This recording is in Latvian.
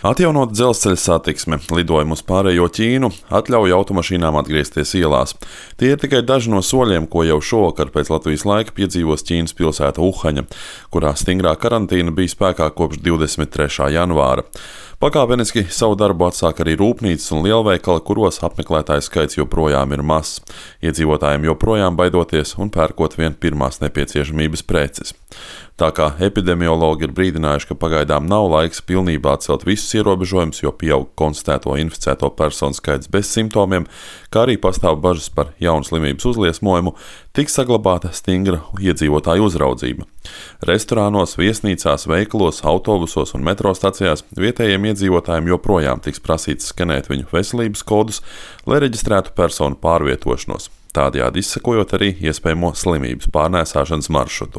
Atjaunot dzelzceļa satiksme, lidojumu uz pārējo Ķīnu atļauj automašīnām atgriezties ielās. Tie ir tikai daži no soļiem, ko jau šovakar pēc Latvijas laika piedzīvos Ķīnas pilsēta Uhaņa, kurā stingrā karantīna bija spēkā kopš 23. janvāra. Pakāpeniski savu darbu atsāk arī rūpnīcas un lielveikali, kuros apmeklētāju skaits joprojām ir mazs. Iedzīvotājiem joprojām baidoties un pērkot vien pirmās nepieciešamības preces. Tā kā epidemiologi ir brīdinājuši, ka pagaidām nav laiks pilnībā atcelt visus ierobežojumus, jo pieaug konstatēto inficēto personu skaits bez simptomiem, kā arī pastāv bažas par jaunu slimības uzliesmojumu, tiks saglabāta stingra iedzīvotāju uzraudzība. Restorānos, viesnīcās, veikalos, autobusos un metro stacijās vietējiem iedzīvotājiem joprojām tiks prasīts skenēt viņu veselības kodus, lai reģistrētu personu pārvietošanos, tādējādi izsekojot arī iespējamo slimības pārnēsāšanas maršrutu.